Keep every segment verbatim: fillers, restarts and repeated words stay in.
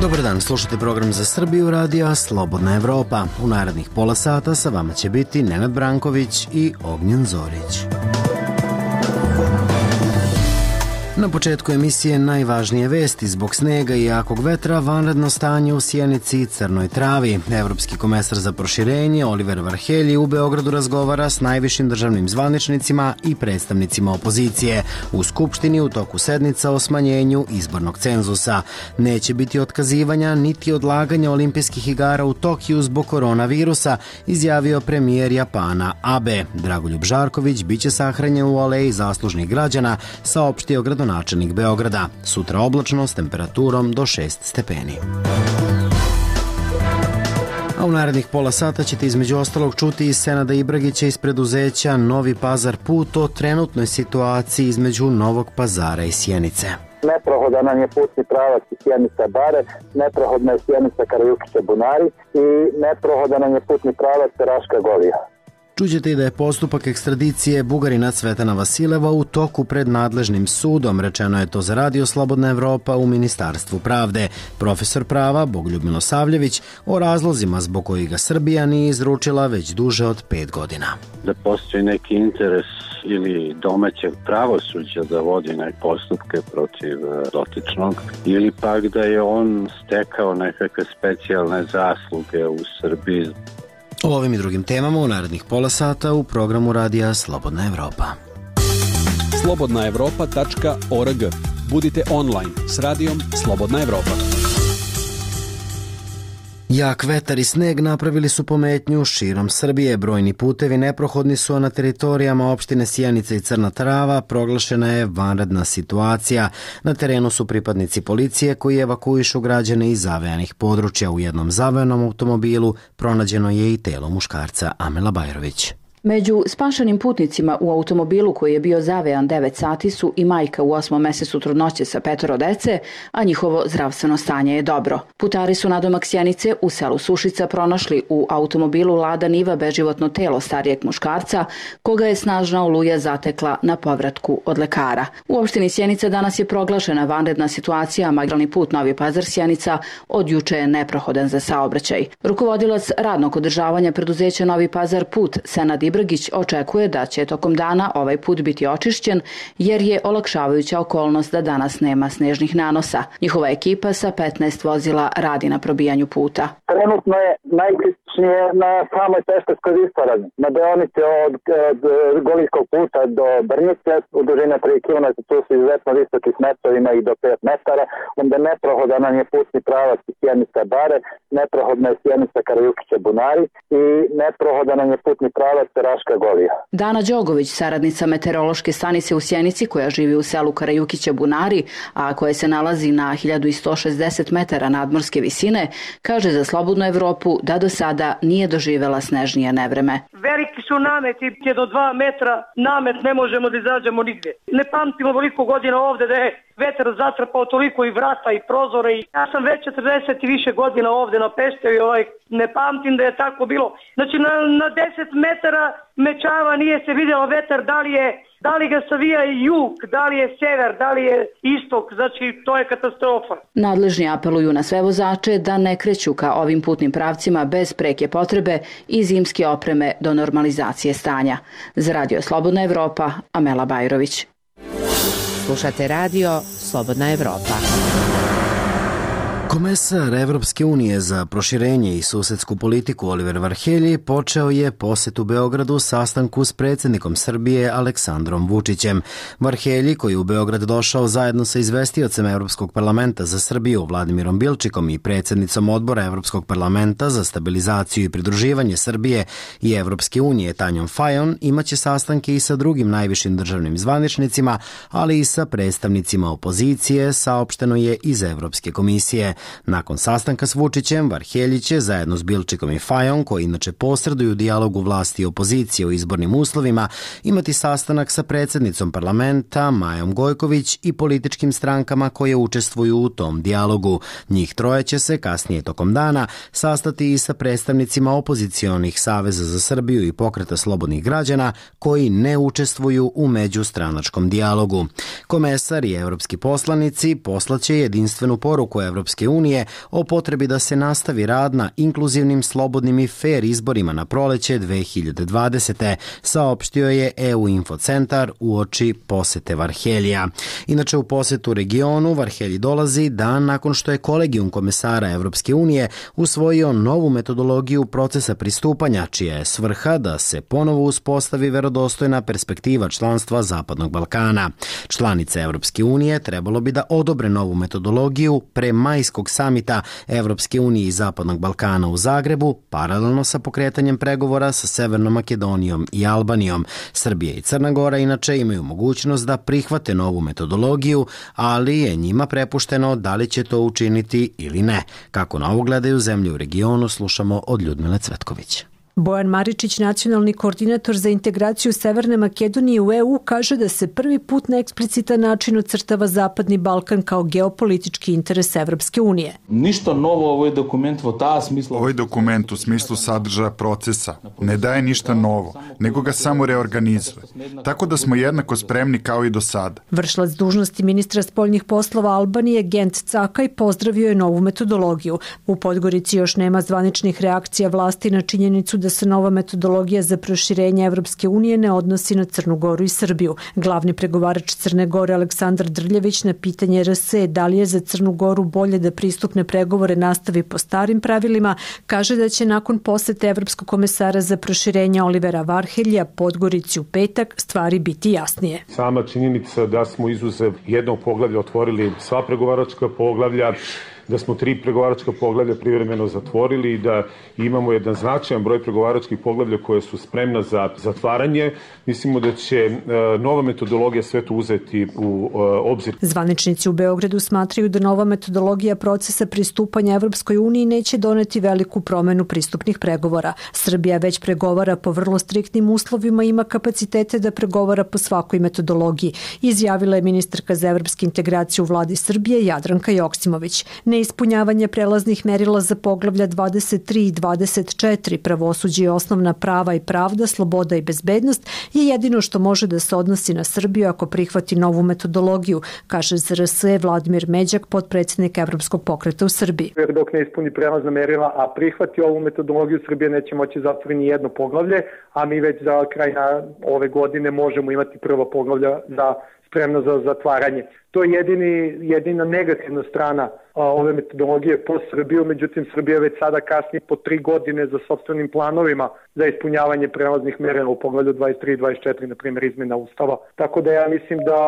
Dobar dan, slušate program za Srbiju radija Slobodna Evropa. U narednih pola sata sa vama će biti Nenad Branković i Ognjen Zorić. Na početku emisije najvažnije vesti. Zbog snega i jakog vetra vanredno stanje u Sjenici i Crnoj Travi. Evropski komesar za proširenje Oliver Varhelyi u Beogradu razgovara s najvišim državnim zvaničnicima i predstavnicima opozicije. U Skupštini u toku sednica o smanjenju izbornog cenzusa. Neće biti otkazivanja niti odlaganja olimpijskih igara u Tokiju zbog koronavirusa, izjavio premijer Japana Abe. Dragoljub Žarković biće sahranjen u aleji zaslužnih građana, saopštio gradonačelnik načelnik Beograda. Sutra oblačno s temperaturom do šest stepeni. A u narednih pola sata ćete između ostalog čuti iz Senada Ibragića iz preduzeća Novi Pazar put o trenutnoj situaciji između Novog Pazara i Sjenice. Neprohodan nam je putni pravac Sjenica-Bare, neprohodna je Sjenica-Karajukića-Bunari i neprohodan nam je putni pravac Raška-Golija. Čućete i da je postupak ekstradicije Bugarina Cvetana Vasileva u toku pred nadležnim sudom, rečeno je to za Radio Slobodna Evropa u Ministarstvu pravde. Profesor prava Bogoljub Milosavljević o razlozima zbog kojih ga Srbija nije izručila već duže od pet godina. Da postoji neki interes ili domaćeg pravosuđa da vodi neke postupke protiv dotičnog, ili pak da je on stekao nekakve specijalne zasluge u Srbiji. O ovim i drugim temama u narednih pola sata u programu radija Slobodna Evropa. slobodna evropa tačka org. Budite online s radijom Slobodna Evropa. Jak vetar i sneg napravili su pometnju širom Srbije. Brojni putevi neprohodni su, a na teritorijama opštine Sjenica i Crna Trava proglašena je vanredna situacija. Na terenu su pripadnici policije koji evakuišu građane iz zavejanih područja. U jednom zavejanom automobilu pronađeno je i telo muškarca. Amela Bajrović. Među spašenim putnicima u automobilu koji je bio zavejan devet sati su i majka u osmom mesecu trudnoće sa petoro dece, a njihovo zdravstveno stanje je dobro. Putari su nadomak Sjenice u selu Sušica pronašli u automobilu Lada Niva beživotno telo starijeg muškarca, koga je snažna oluja zatekla na povratku od lekara. U opštini Sjenica danas je proglašena vanredna situacija, a magistralni put Novi Pazar Sjenica od juče je neprohodan za saobraćaj. Rukovodilac radnog održavanja preduzeća Novi Pazar put Senad Ibragić očekuje da će tokom dana ovaj put biti očišćen, jer je olakšavajuća okolnost da danas nema snežnih nanosa. Njihova ekipa sa petnaest vozila radi na probijanju puta. Trenutno je najkritičnije na samoj Pešterskoj visoravni, na deonici od, od Golijskog puta do Brnjice, u dužine tri kilometra, tu su izuzetno visoki smestovi, ima i do pet metara, onda neprohodan nam je putni pravac Sjenica-Bare, neprohodna je Sjenica-Karajukića-Bunari i neprohodan nam je putni pravac Raška-Golija. Dana Đogović, saradnica meteorološke stanice u Sjenici koja živi u selu Karajukića-Bunari, a koje se nalazi na hiljadu sto šezdeset metara nadmorske visine, kaže za Slobodnu Evropu da do sada nije doživela snežnije nevreme. Veliki su nameti, do dva metra namet ne možemo da izađemo nigde. Ne pamtimo toliko godina ovde da je vetar zatrpao toliko i vrata i prozore. I ja sam već četrdeset i više godina ovde na Peštevi, ovaj, ne pamtim da je tako bilo. Znači na, na deset metara mečava nije se vidjelo vetar, da li je Da li ga savija jug, da li je sever, da li je istok, znači to je katastrofa. Nadležni apeluju na sve vozače da ne kreću ka ovim putnim pravcima bez preke potrebe i zimske opreme do normalizacije stanja. Za Radio Slobodna Evropa, Amela Bajrović. Slušate Radio Slobodna Evropa. Komesar Evropske unije za proširenje i susedsku politiku Oliver Varhelyi počeo je posetu Beogradu sastanku s predsjednikom Srbije Aleksandrom Vučićem. Varhelyi, koji je u Beograd došao zajedno sa izvestiocem Evropskog parlamenta za Srbiju Vladimirom Bilčikom i predsjednicom odbora Evropskog parlamenta za stabilizaciju i pridruživanje Srbije i Evropske unije Tanjom Fajon, imaće sastanke i sa drugim najvišim državnim zvaničnicima, ali i sa predstavnicima opozicije, saopšteno je iz Evropske komisije. Nakon sastanka s Vučićem, Varhelyi će zajedno s Bilčikom i Fajon, koji inače posreduju u dijalogu vlasti i opozicije o izbornim uslovima, imati sastanak sa predsjednicom parlamenta Majom Gojković i političkim strankama koje učestvuju u tom dijalogu. Njih troje će se kasnije tokom dana sastati i sa predstavnicima opozicionih Saveza za Srbiju i Pokreta slobodnih građana koji ne učestvuju u međustranačkom dijalogu. Komesar i evropski poslanici poslaće jedinstvenu poruku Evropske Evropske unije o potrebi da se nastavi rad na inkluzivnim, slobodnim i fair izborima na proleće dve hiljade dvadesete, saopštio je E U Infocentar uoči posete Varheljija. Inače, u posetu regionu Varhelji dolazi dan nakon što je kolegijum komesara Evropske unije usvojio novu metodologiju procesa pristupanja, čija je svrha da se ponovo uspostavi verodostojna perspektiva članstva Zapadnog Balkana. Članice Evropske unije trebalo bi da odobre novu metodologiju pre majskog samita Evropske unije i Zapadnog Balkana u Zagrebu, paralelno sa pokretanjem pregovora sa Severnom Makedonijom i Albanijom. Srbija i Crna Gora inače imaju mogućnost da prihvate novu metodologiju, ali je njima prepušteno da li će to učiniti ili ne. Kako na ovo gledaju zemlje u regionu, slušamo od Ljudmile Cvetković. Bojan Maričić, nacionalni koordinator za integraciju Severne Makedonije u E U, kaže da se prvi put na eksplicitan način ocrtava Zapadni Balkan kao geopolitički interes Evropske unije. Ništa novo, ovo je dokument u ta smislu. Ovaj dokument u smislu sadržaja procesa ne daje ništa novo, nego ga samo reorganizuje. Tako da smo jednako spremni kao i do sada. Vršilac dužnosti ministra spoljnih poslova Albanije Gent Cakaj pozdravio je novu metodologiju. U Podgorici još nema zvaničnih reakcija vlasti na činjenicu da da se nova metodologija za proširenje Evropske unije ne odnosi na Crnu Goru i Srbiju. Glavni pregovarač Crne Gore Aleksandar Drljević na pitanje R S da li je za Crnu Goru bolje da pristupne pregovore nastavi po starim pravilima, kaže da će nakon posete Evropskog komesara za proširenje Olivera Varheljija Podgorici u petak stvari biti jasnije. Sama činjenica da smo izuzev jednog poglavlja otvorili sva pregovaračka poglavlja, da smo tri pregovaračka poglavlja privremeno zatvorili i da imamo jedan značajan broj pregovaračkih poglavlja koje su spremna za zatvaranje. Mislimo da će nova metodologija sve to uzeti u obzir. Zvaničnici u Beogradu smatraju da nova metodologija procesa pristupanja Evropskoj uniji neće doneti veliku promenu pristupnih pregovora. Srbija već pregovara po vrlo striktnim uslovima i ima kapacitete da pregovara po svakoj metodologiji, izjavila je ministarka za evropske integracije u vladi Srbije Jadranka Joksimović. Neispunjavanje prelaznih merila za poglavlja dvadeset tri i dvadeset četiri, pravosuđe i osnovna prava i pravda, sloboda i bezbednost, je jedino što može da se odnosi na Srbiju ako prihvati novu metodologiju, kaže za R S Vladimir Međak, potpredsjednik Evropskog pokreta u Srbiji. Dok ne ispuni prelazna merila, a prihvati ovu metodologiju, Srbija neće moći zatvoriti ni jedno poglavlje, a mi već za kraj ove godine možemo imati prvo poglavlja za spremno za zatvaranje. To je jedini, jedina negativna strana a, ove metodologije po Srbiju, međutim Srbija već sada kasni po tri godine za sopstvenim planovima za ispunjavanje prelaznih merila u poglavlju dvadeset tri i dvadeset četiri, na primjer izmjena Ustava. Tako da ja mislim da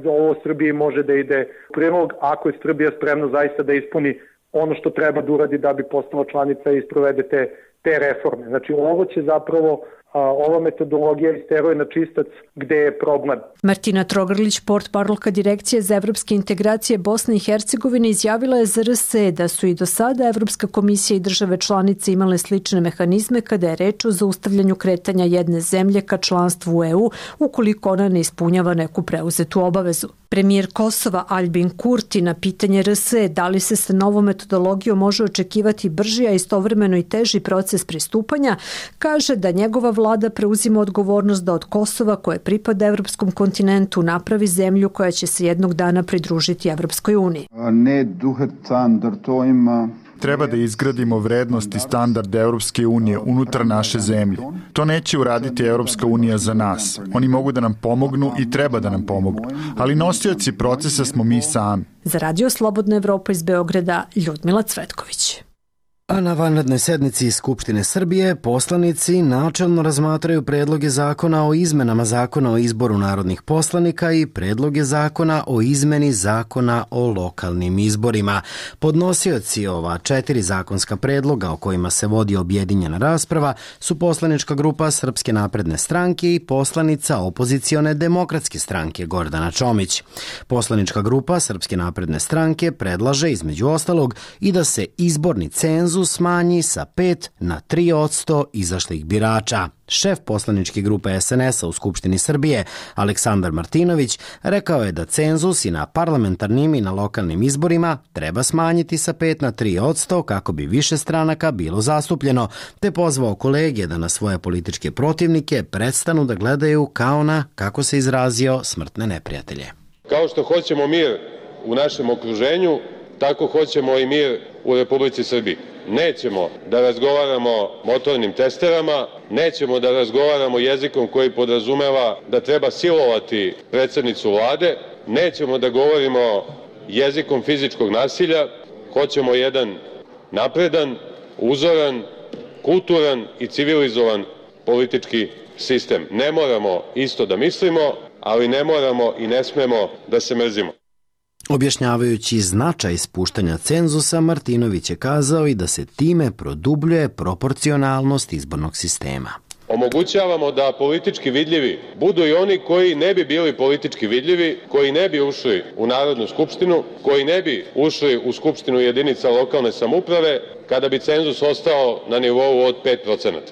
za ovo Srbiji može da ide prilog ako je Srbija spremna zaista da ispuni ono što treba da uradi da bi postala članica i sprovede te, te reforme. Znači ovo će zapravo A ova metodologija isteruje na čistac gde je problem. Martina Trogrlić, portparolka Direkcije za evropske integracije Bosne i Hercegovine, izjavila je za R S da su i do sada Evropska komisija i države članice imale slične mehanizme kada je reč o zaustavljanju kretanja jedne zemlje ka članstvu u E U ukoliko ona ne ispunjava neku preuzetu obavezu. Premijer Kosova Albin Kurti na pitanje R S da li se sa novom metodologijom može očekivati brži, a istovremeno i teži proces pristupanja, kaže da njegova vlada preuzima odgovornost da od Kosova, koje pripada evropskom kontinentu, napravi zemlju koja će se jednog dana pridružiti Evropskoj uniji. Treba da izgradimo vrednost i standard Evropske unije unutar naše zemlje. To neće uraditi Evropska unija za nas. Oni mogu da nam pomognu i treba da nam pomognu. Ali nosioci procesa smo mi sami. Za Radio Slobodna Evropa iz Beograda, Ljudmila Cvetković. A na vanrednoj sednici Skupštine Srbije poslanici načelno razmatraju predloge zakona o izmenama zakona o izboru narodnih poslanika i predloge zakona o izmeni zakona o lokalnim izborima. Podnosioci ova četiri zakonska predloga o kojima se vodi objedinjena rasprava su poslanička grupa Srpske napredne stranke i poslanica opozicione Demokratske stranke Gordana Čomić. Poslanička grupa Srpske napredne stranke predlaže između ostalog i da se izborni cenzus smanji sa pet na tri posto izašlih birača. Šef poslaničke grupe S N S-a u Skupštini Srbije, Aleksandar Martinović, rekao je da cenzus i na parlamentarnim i na lokalnim izborima treba smanjiti sa pet na tri posto kako bi više stranaka bilo zastupljeno, te pozvao kolege da na svoje političke protivnike prestanu da gledaju kao na, kako se izrazio, smrtne neprijatelje. Kao što hoćemo mir u našem okruženju, tako hoćemo i mir u Republici Srbiji. Nećemo da razgovaramo motornim testerama, nećemo da razgovaramo jezikom koji podrazumeva da treba silovati predsednicu vlade, nećemo da govorimo jezikom fizičkog nasilja, hoćemo jedan napredan, uzoran, kulturan i civilizovan politički sistem. Ne moramo isto da mislimo, ali ne moramo i ne smemo da se mrzimo. Objašnjavajući značaj spuštanja cenzusa, Martinović je kazao i da se time produbljuje proporcionalnost izbornog sistema. Omogućavamo da politički vidljivi budu i oni koji ne bi bili politički vidljivi, koji ne bi ušli u Narodnu skupštinu, koji ne bi ušli u skupštinu jedinica lokalne samouprave kada bi cenzus ostao na nivou od pet procenata.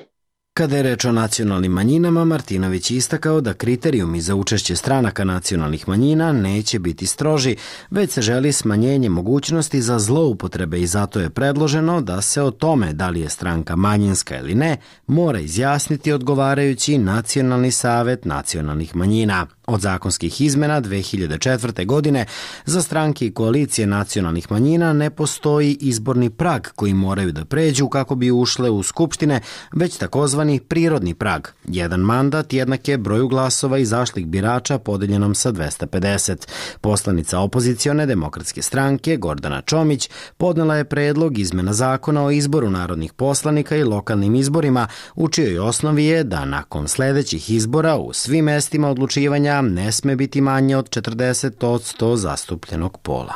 Kada je reč o nacionalnim manjinama, Martinović je istakao da kriterijumi za učešće stranaka nacionalnih manjina neće biti stroži, već se želi smanjenje mogućnosti za zloupotrebe i zato je predloženo da se o tome da li je stranka manjinska ili ne mora izjasniti odgovarajući Nacionalni savet nacionalnih manjina. Od zakonskih izmena dve hiljade četvrte. godine za stranke i koalicije nacionalnih manjina ne postoji izborni prag koji moraju da pređu kako bi ušle u skupštine, već takozvani prirodni prag. Jedan mandat jednak je broju glasova izašlih birača podeljenom sa dvesta pedeset. Poslanica opozicione demokratske stranke Gordana Čomić podnela je predlog izmena zakona o izboru narodnih poslanika i lokalnim izborima, u čijoj osnovi je da nakon sledećih izbora u svim mestima odlučivanja ne sme biti manje od četrdeset posto zastupljenog pola.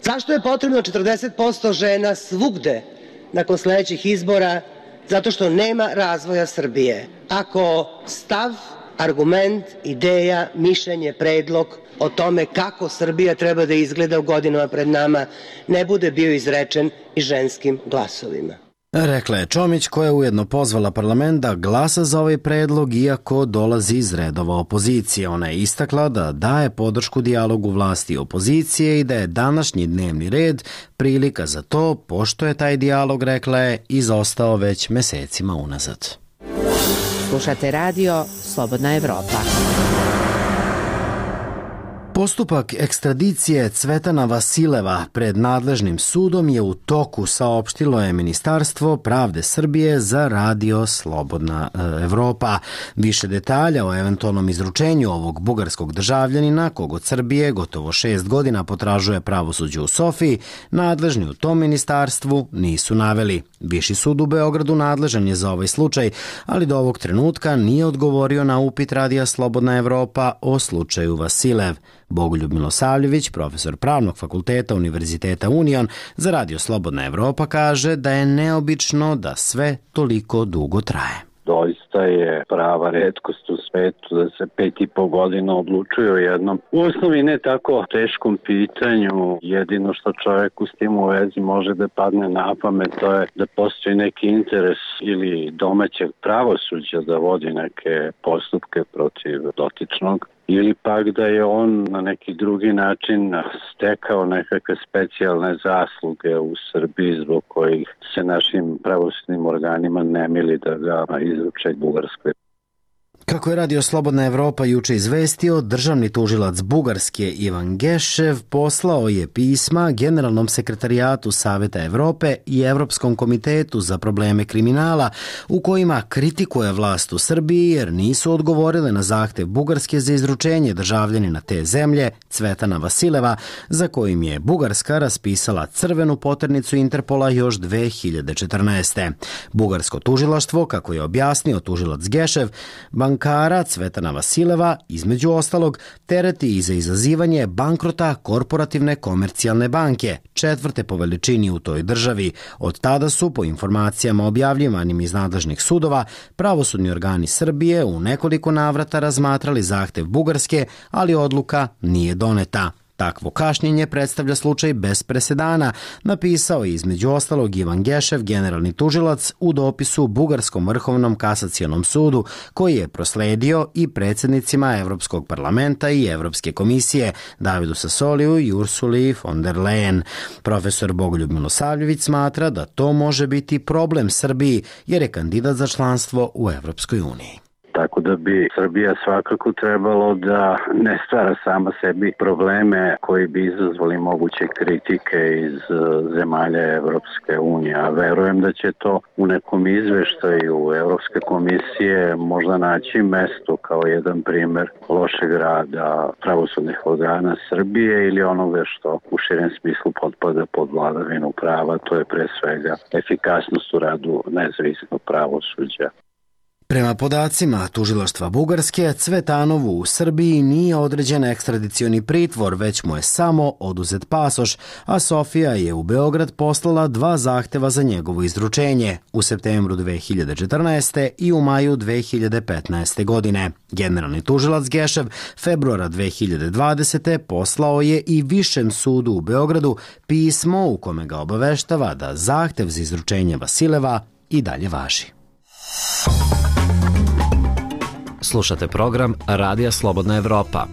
Zašto je potrebno četrdeset posto žena svugde nakon sledećih izbora? Zato što nema razvoja Srbije. Ako stav, argument, ideja, mišljenje, predlog o tome kako Srbija treba da izgleda u godinama pred nama ne bude bio izrečen i ženskim glasovima. Rekla je Čomić, koja je ujedno pozvala parlament da glasa za ovaj predlog iako dolazi iz redova opozicije. Ona je istakla da daje podršku dijalogu vlasti i opozicije i da je današnji dnevni red prilika za to, pošto je taj dijalog, rekla je, izostao već mesecima unazad. Slušate radio Slobodna Evropa. Postupak ekstradicije Cvetana Vasileva pred nadležnim sudom je u toku, saopštilo je Ministarstvo pravde Srbije za radio Slobodna Evropa. Više detalja o eventualnom izručenju ovog bugarskog državljanina, kog od Srbije gotovo šest godina potražuje pravosuđe u Sofiji, nadležni u tom ministarstvu nisu naveli. Viši sud u Beogradu nadležan je za ovaj slučaj, ali do ovog trenutka nije odgovorio na upit radija Slobodna Evropa o slučaju Vasilev. Bogoljub Milosavljević, profesor Pravnog fakulteta Univerziteta Union za radio Slobodna Evropa, kaže da je neobično da sve toliko dugo traje. Doista je prava retkost u svetu da se pet i po godina odlučuje o jednom u osnovi ne tako teškom pitanju. Jedino što čoveku s tim u vezi može da padne na pamet, to je da postoji neki interes ili domaćeg pravosuđa da vodi neke postupke protiv dotičnog, ili pak da je on na neki drugi način stekao nekakve specijalne zasluge u Srbiji zbog kojih se našim pravosudnim organima ne mili da ga izruče Bugarskoj. Kako je radio Slobodna Evropa juče izvestio, državni tužilac Bugarske Ivan Gešev poslao je pisma Generalnom sekretarijatu Saveta Evrope i Evropskom komitetu za probleme kriminala u kojima kritikuje vlast u Srbiji jer nisu odgovorile na zahtev Bugarske za izručenje državljanina te zemlje Cvetana Vasileva, za kojim je Bugarska raspisala crvenu poternicu Interpola još dve hiljade četrnaeste. Bugarsko tužilaštvo, kako je objasnio tužilac Gešev, bankara Cvetana Vasileva, između ostalog, tereti i za izazivanje bankrota Korporativne komercijalne banke, četvrte po veličini u toj državi. Od tada su, po informacijama objavljivanim iz nadležnih sudova, pravosudni organi Srbije u nekoliko navrata razmatrali zahtev Bugarske, ali odluka nije doneta. Takvo kašnjenje predstavlja slučaj bez presedana, napisao je između ostalog Ivan Gešev, generalni tužilac, u dopisu Bugarskom vrhovnom kasacionom sudu, koji je prosledio i predsjednicima Evropskog parlamenta i Evropske komisije, Davidu Sassoliju i Ursuli von der Leyen. Profesor Bogoljub Milosavljević smatra da to može biti problem Srbiji, jer je kandidat za članstvo u Evropskoj uniji. Tako da bi Srbija svakako trebalo da ne stvara sama sebi probleme koji bi izazvali moguće kritike iz zemalja Evropske unije. A verujem da će to u nekom izveštaju Evropske komisije možda naći mesto kao jedan primer lošeg rada pravosudnih organa Srbije ili onoga što u širem smislu potpada pod vladavinu prava, to je pre svega efikasnost u radu nezavisnog pravosuđa. Prema podacima tužilaštva Bugarske, Cvetanovu u Srbiji nije određen ekstradicioni pritvor, već mu je samo oduzet pasoš, a Sofija je u Beograd poslala dva zahteva za njegovo izručenje u septembru dve hiljade četrnaeste. i u maju dve hiljade petnaeste. godine. Generalni tužilac Gešev februara dve hiljade dvadesete. poslao je i Višem sudu u Beogradu pismo u kome ga obaveštava da zahtev za izručenje Vasileva i dalje važi. Slušate program Radija Slobodna Evropa.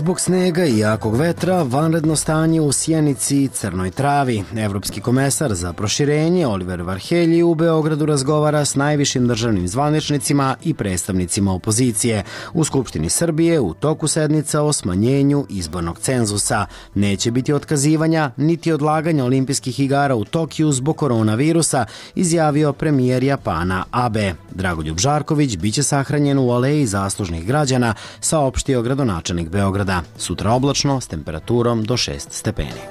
Zbog snega i jakog vetra, vanredno stanje u Sjenici i Crnoj Travi. Evropski komesar za proširenje Oliver Varhelyi u Beogradu razgovara s najvišim državnim zvaničnicima i predstavnicima opozicije. U Skupštini Srbije u toku sednica o smanjenju izbornog cenzusa. Neće biti otkazivanja niti odlaganja olimpijskih igara u Tokiju zbog koronavirusa, izjavio premijer Japana Abe. Dragoljub Žarković biće sahranjen u aleji zaslužnih građana, saopštio gradonačelnik Beograda. Sutra oblačno s temperaturom do šest stepeni.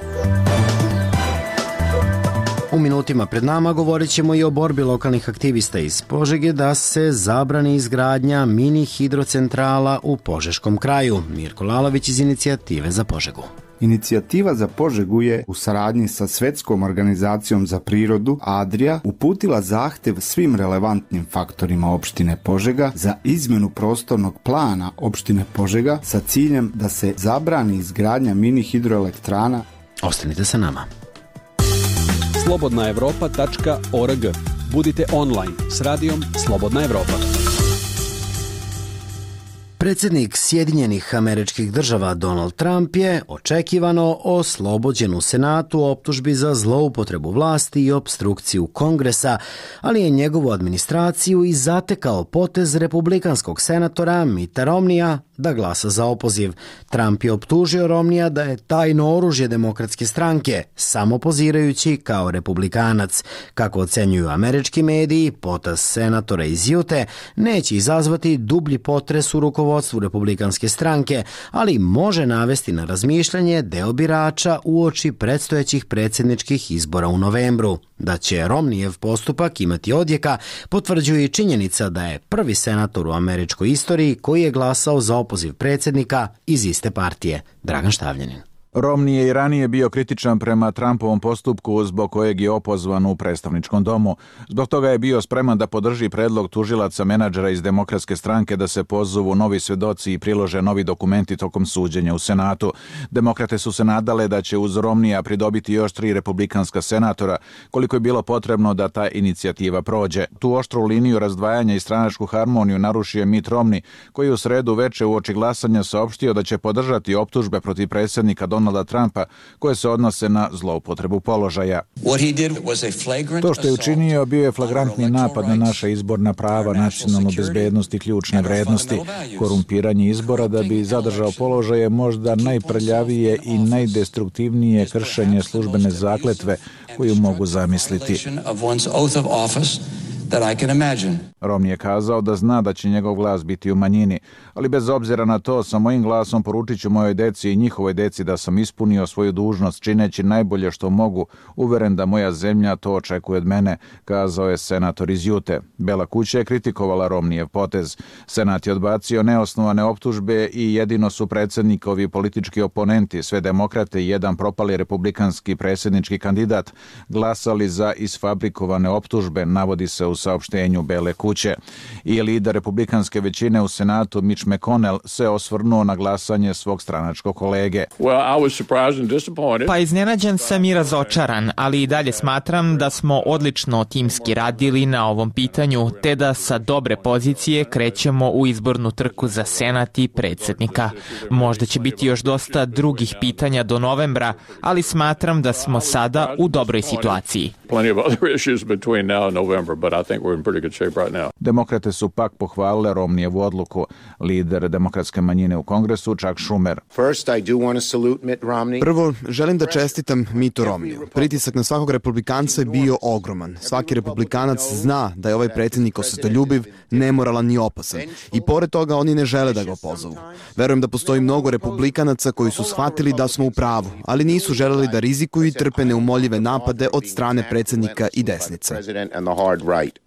U minutima pred nama govorit ćemo i o borbi lokalnih aktivista iz Požege da se zabrani izgradnja mini hidrocentrala u Požeškom kraju. Mirko Lalović iz Inicijative za Požegu. Inicijativa za Požegu je u saradnji sa Svetskom organizacijom za prirodu Adria uputila zahtev svim relevantnim faktorima opštine Požega za izmenu prostornog plana opštine Požega sa ciljem da se zabrani izgradnja mini hidroelektrana. Ostanite sa nama. slobodna evropa tačka org. Budite online s radijom Slobodna Evropa. Predsjednik Sjedinjenih Američkih Država Donald Trump je očekivano oslobođen u Senatu optužbi za zloupotrebu vlasti i opstrukciju Kongresa, ali je njegovu administraciju i zatekao potez republikanskog senatora Mitta Romneya da glasa za opoziv. Trump je optužio Romneya da je tajno oružje demokratske stranke, samo pozirajući kao republikanac. Kako ocenjuju američki mediji, potez senatora iz Jute neće izazvati dublji potres u rukovodstvu republikanske stranke, ali može navesti na razmišljanje deo birača uoči predstojećih predsjedničkih izbora u novembru. Da će Romneyev postupak imati odjeka potvrđuje i činjenica da je prvi senator u američkoj istoriji koji je glasao za opoziv predsjednika iz iste partije, Dragan Štavljanin. Romney je i ranije bio kritičan prema Trumpovom postupku zbog kojeg je opozvan u predstavničkom domu. Zbog toga je bio spreman da podrži predlog tužilaca menadžera iz Demokratske stranke da se pozovu novi svedoci i prilože novi dokumenti tokom suđenja u Senatu. Demokrate su se nadale da će uz Romneya pridobiti još tri republikanska senatora, koliko je bilo potrebno da ta inicijativa prođe. Tu oštru liniju razdvajanja i stranačku harmoniju narušio Mitt Romney, koji u sredu veče uoči glasanja saopštio da će podržati optužbe protiv predsjednika Donalda Donalda Trumpa koje se odnose na zloupotrebu položaja. To što je učinio bio je flagrantni napad na naša izborna prava, nacionalnu bezbednost i ključne vrednosti. Korumpiranje izbora da bi zadržao položaje možda najprljavije i najdestruktivnije kršenje službene zakletve koju mogu zamisliti. Romney je kazao da zna da će njegov glas biti u manjini, ali bez obzira na to sa mojim glasom poručit ću mojoj deci i njihovoj deci da sam ispunio svoju dužnost čineći najbolje što mogu, uveren da moja zemlja to očekuje od mene, kazao je senator iz Jute. Bela kuća je kritikovala Romneyev potez. Senat je odbacio neosnovane optužbe i jedino su predsjednikovi politički oponenti, sve demokrate i jedan propali republikanski predsjednički kandidat, glasali za isfabrikovane optužbe, navodi se u saopštenju Bele kuće. I lider republikanske većine u Senatu Mitch McConnell se osvrnuo na glasanje svog stranačkog kolege. Pa iznenađen sam i razočaran, ali i dalje smatram da smo odlično timski radili na ovom pitanju, te da sa dobre pozicije krećemo u izbornu trku za Senat i predsjednika. Možda će biti još dosta drugih pitanja do novembra, ali smatram da smo sada u dobroj situaciji. Demokrate su pak pohvalile Romnijevu odluku. Lider demokratske manjine u Kongresu Chuck Schumer. Prvo, želim da čestitam Mittu Romniju. Pritisak na svakog republikanca je bio ogroman. Svaki republikanac zna da je ovaj predsjednik osetoljubiv, nemoralan i opasan. I pored toga oni ne žele da ga opozovu. Verujem da postoji mnogo republikanaca koji su shvatili da smo u pravu, ali nisu želeli da rizikuju i trpe neumoljive napade od strane predsjednika i desnice.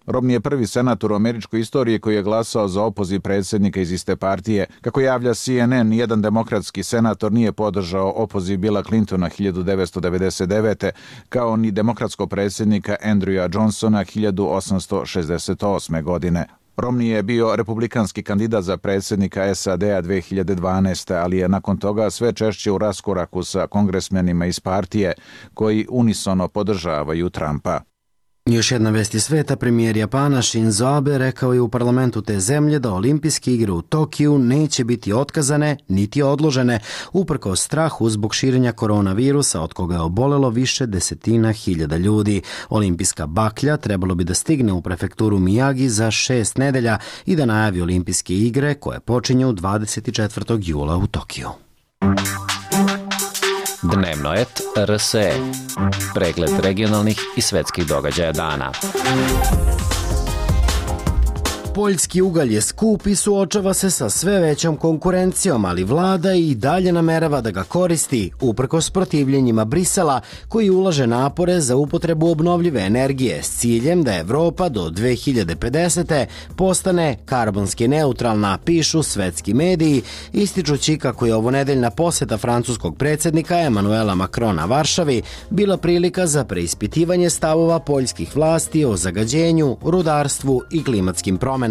Romney je prvi senator u američkoj istoriji koji je glasao za opoziv predsjednika iz iste partije. Kako javlja C N N, jedan demokratski senator nije podržao opoziv Billa Clintona hiljadu devetsto devedeset devete. kao ni demokratskog predsjednika Andrewa Johnsona hiljadu osamsto šezdeset osme. godine. Romney je bio republikanski kandidat za predsjednika S A D-a dve hiljade dvanaeste. ali je nakon toga sve češće u raskoraku sa kongresmenima iz partije koji unisono podržavaju Trumpa. Još jedna vest iz sveta, premijer Japana Shinzo Abe rekao je u parlamentu te zemlje da olimpijske igre u Tokiju neće biti otkazane niti odložene, uprkos strahu zbog širenja koronavirusa od koga je obolelo više desetina hiljada ljudi. Olimpijska baklja trebalo bi da stigne u prefekturu Miyagi za šest nedelja i da najavi olimpijske igre koje počinju dvadeset četvrtog jula u Tokiju. Dnevno et R S E. Pregled regionalnih i svetskih događaja dana. Poljski ugalj je skup i suočava se sa sve većom konkurencijom, ali vlada i dalje namerava da ga koristi, uprkos protivljenjima Brisela, koji ulaže napore za upotrebu obnovljive energije s ciljem da Evropa do dve hiljade pedesete. postane karbonski neutralna, pišu svetski mediji, ističući kako je ovonedeljna poseta francuskog predsjednika Emanuela Macrona Varšavi bila prilika za preispitivanje stavova poljskih vlasti o zagađenju, rudarstvu i klimatskim promenama.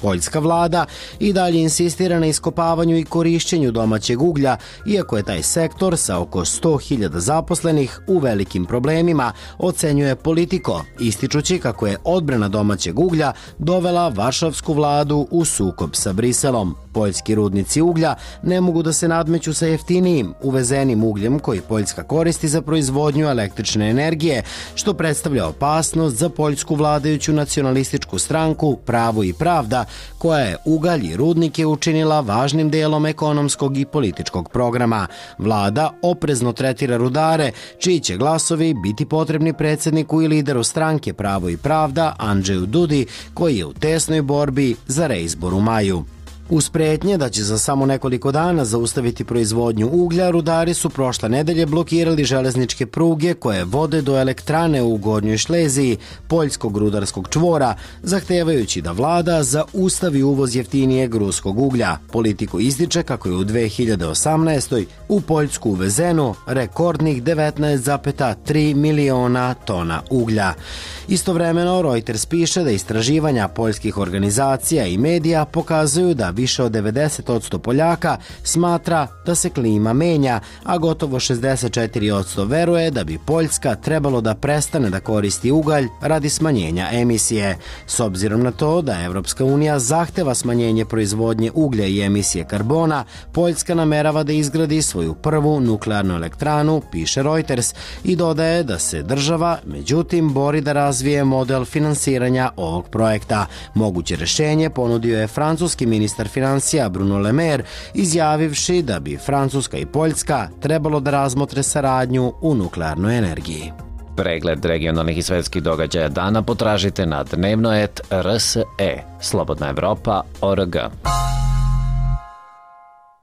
Poljska vlada i dalje insistira na iskopavanju i korišćenju domaćeg uglja, iako je taj sektor sa oko sto hiljada zaposlenih u velikim problemima, ocenjuje Politico, ističući kako je odbrana domaćeg uglja dovela varšavsku vladu u sukob sa Briselom. Poljski rudnici uglja ne mogu da se nadmeću sa jeftinijim, uvezenim ugljem koji Poljska koristi za proizvodnju električne energije, što predstavlja opasnost za poljsku vladajuću nacionalističku stranku Pravo i pravda, koja je ugalj i rudnike učinila važnim delom ekonomskog i političkog programa. Vlada oprezno tretira rudare, čiji će glasovi biti potrebni predsjedniku i lideru stranke Pravo i pravda Andžeju Dudi, koji je u tesnoj borbi za reizbor u maju. Uz pretnje da će za samo nekoliko dana zaustaviti proizvodnju uglja, rudari su prošle nedelje blokirali železničke pruge koje vode do elektrane u Gornjoj Šleziji, poljskog rudarskog čvora, zahtevajući da vlada zaustavi uvoz jeftinijeg ruskog uglja. Politico ističe kako je u dve hiljade osamnaestoj. u Poljsku uvezeno rekordnih devetnaest zarez tri miliona tona uglja. Istovremeno, Reuters piše da istraživanja poljskih organizacija i medija pokazuju da više od devedeset posto Poljaka smatra da se klima menja, a gotovo šezdeset četiri posto veruje da bi Poljska trebalo da prestane da koristi ugalj radi smanjenja emisije. S obzirom na to da Evropska unija zahteva smanjenje proizvodnje uglja i emisije karbona, Poljska namerava da izgradi svoju prvu nuklearnu elektranu, piše Reuters, i dodaje da se država, međutim, bori da razvije model finansiranja ovog projekta. Moguće rešenje ponudio je francuski ministar financija Bruno Le Maire, izjavivši da bi Francuska i Poljska trebalo da razmotre saradnju u nuklearnoj energiji. Pregled regionalnih i svetskih događaja dana potražite na dnevno et R S E, Slobodna Evropa, O R G.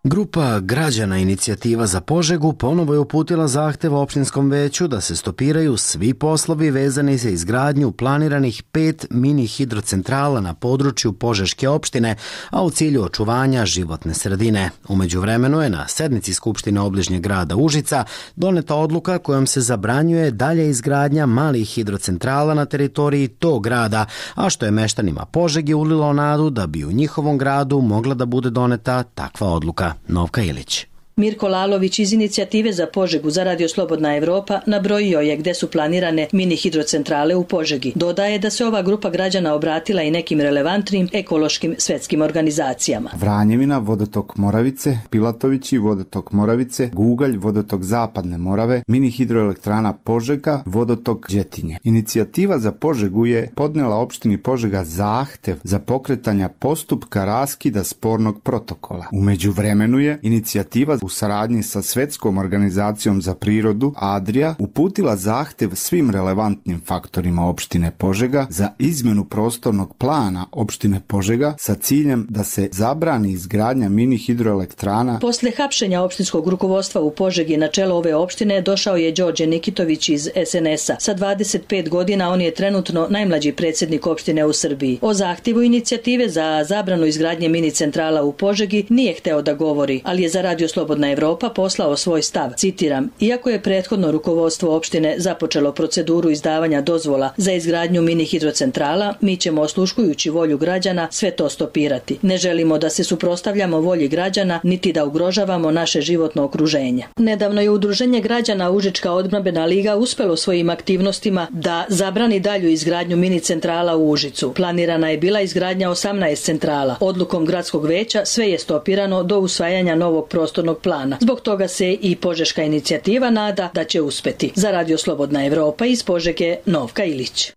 Grupa građana Inicijativa za Požegu ponovo je uputila zahtev opštinskom veću da se stopiraju svi poslovi vezani za izgradnju planiranih pet mini hidrocentrala na području Požeške opštine, a u cilju očuvanja životne sredine. Umeđu vremenu je na sednici Skupštine obližnjeg grada Užica doneta odluka kojom se zabranjuje dalje izgradnja malih hidrocentrala na teritoriji tog grada, a što je meštanima Požege ulilo nadu da bi u njihovom gradu mogla da bude doneta takva odluka. Novka Ilić. Mirko Lalović iz Inicijative za Požegu za Radio Slobodna Evropa nabrojio je gde su planirane mini hidrocentrale u Požegi. Dodaje da se ova grupa građana obratila i nekim relevantnim ekološkim svetskim organizacijama. Vranjevina, vodotok Moravice, Pilatovići, vodotok Moravice, Gugalj, vodotok Zapadne Morave, mini hidroelektrana Požega, vodotok Đetinje. Inicijativa za Požegu je podnela opštini Požega zahtev za pokretanja postupka raskida spornog protokola. Umeđu vremenu je inicijativa u saradnji sa Svetskom organizacijom za prirodu Adria uputila zahtev svim relevantnim faktorima opštine Požega za izmenu prostornog plana opštine Požega sa ciljem da se zabrani izgradnja mini hidroelektrana. Posle hapšenja opštinskog rukovodstva u Požegi na čelo ove opštine došao je Đorđe Nikitović iz es en es a. Sa dvadeset pet godina on je trenutno najmlađi predsjednik opštine u Srbiji. O zahtjevu inicijative za zabranu izgradnje mini centrala u Požegi nije hteo da govori, ali je za Radio Slobodna Evropa poslao svoj stav. Citiram: iako je prethodno rukovodstvo opštine započelo proceduru izdavanja dozvola za izgradnju mini hidrocentrala, mi ćemo, osluškujući volju građana, sve to stopirati. Ne želimo da se suprotstavljamo volji građana, niti da ugrožavamo naše životno okruženje. Nedavno je Udruženje građana Užička odbrambena liga uspelo svojim aktivnostima da zabrani dalju izgradnju mini centrala u Užicu. Planirana je bila izgradnja osamnaest centrala. Odlukom gradskog veća sve je stopirano do usvajanja novog prostornog plana. Zbog toga se i Požeška inicijativa nada da će uspeti. Za Radio Slobodna Evropa iz Požege, Novka Ilić.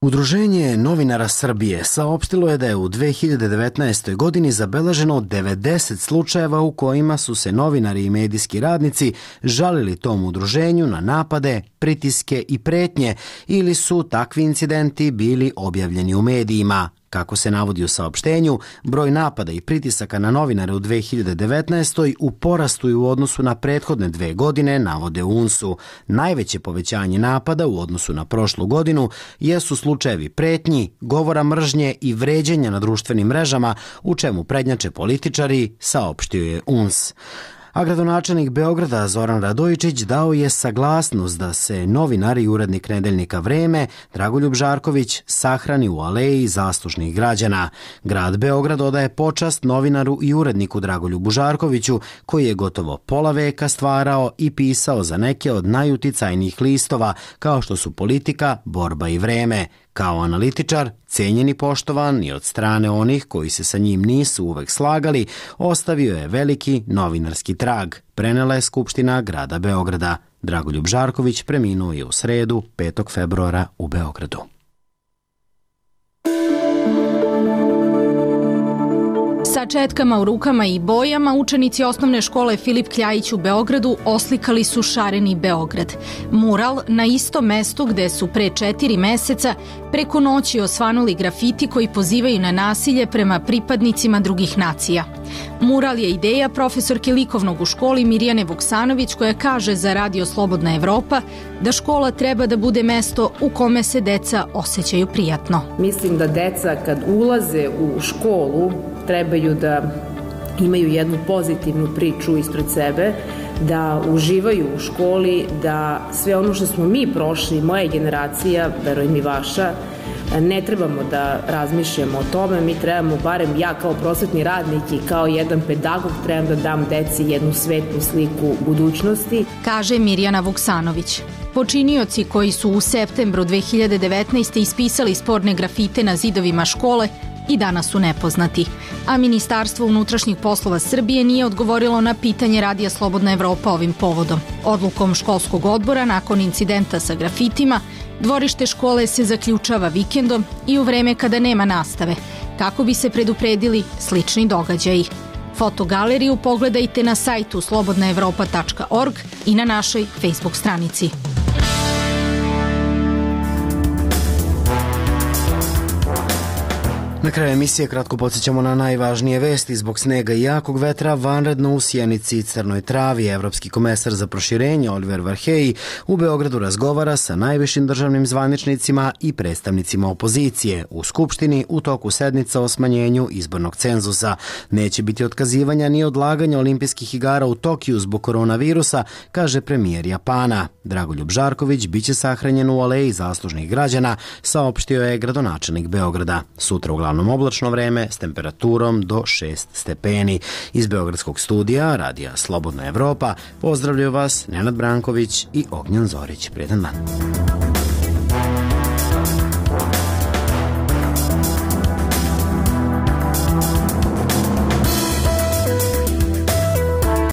Udruženje novinara Srbije saopštilo je da je u dve hiljade devetnaestoj. godini zabeleženo devedeset slučajeva u kojima su se novinari i medijski radnici žalili tom udruženju na napade, pritiske i pretnje ili su takvi incidenti bili objavljeni u medijima. Kako se navodi u saopštenju, broj napada i pritisaka na novinare u dve hiljade devetnaestoj. u porastu u odnosu na prethodne dve godine, navode u U N S-u. Najveće povećanje napada u odnosu na prošlu godinu jesu slučajevi pretnji, govora mržnje i vređenja na društvenim mrežama, u čemu prednjače političari, saopštio je U N S. A gradonačelnik Beograda Zoran Radojičić dao je saglasnost da se novinar i urednik nedeljnika Vreme Dragoljub Žarković sahrani u aleji zaslužnih građana. Grad Beograd odaje počast novinaru i uredniku Dragoljubu Žarkoviću, koji je gotovo pola veka stvarao i pisao za neke od najuticajnijih listova, kao što su Politika, Borba i Vreme. Kao analitičar, cenjen i poštovan i od strane onih koji se sa njim nisu uvek slagali, ostavio je veliki novinarski trag, prenela je Skupština grada Beograda. Dragoljub Žarković preminuo je u sredu, petog februara u Beogradu. Sa četkama u rukama i bojama učenici osnovne škole Filip Kljajić u Beogradu oslikali su šareni Beograd. Mural na istom mestu gde su pre četiri meseca preko noći osvanuli grafiti koji pozivaju na nasilje prema pripadnicima drugih nacija. Mural je ideja profesorke likovnog u školi Mirjane Vuksanović, koja kaže za Radio Slobodna Evropa da škola treba da bude mesto u kome se deca osjećaju prijatno. Mislim da deca kad ulaze u školu trebaju da imaju jednu pozitivnu priču ispred sebe, da uživaju u školi, da sve ono što smo mi prošli, moja generacija, verujem i vaša, ne trebamo da razmišljamo o tome, mi trebamo, barem ja kao prosvetni radnik i kao jedan pedagog, trebam da dam deci jednu svetlu sliku budućnosti. Kaže Mirjana Vuksanović. Počinioci koji su u septembru dve hiljade devetnaeste. ispisali sporne grafite na zidovima škole i danas su nepoznati. A Ministarstvo unutrašnjih poslova Srbije nije odgovorilo na pitanje Radija Slobodna Evropa ovim povodom. Odlukom školskog odbora nakon incidenta sa grafitima, dvorište škole se zaključava vikendom i u vreme kada nema nastave, kako bi se predupredili slični događaji. Fotogaleriju pogledajte na sajtu slobodna evropa tačka org i na našoj Facebook stranici. Na kraju emisije kratko podsjećamo na najvažnije vesti. Zbog snega i jakog vetra vanredno u Sjenici i Crnoj Travi. Evropski komesar za proširenje Oliver Varhelyi u Beogradu razgovara sa najvišim državnim zvaničnicima i predstavnicima opozicije. U Skupštini u toku sednica o smanjenju izbornog cenzusa. Neće biti otkazivanja ni odlaganja olimpijskih igara u Tokiju zbog koronavirusa, kaže premijer Japana. Dragoljub Žarković biće sahranjen u aleji zaslužnih građana, saopštio je gradonačelnik Beograda. Sutra uglavnom oblačno vreme s temperaturom do šest stepeni. Iz Beogradskog studija Radija Slobodna Evropa pozdravljaju vas Nenad Branković i Ognjen Zorić. Prijetan dan.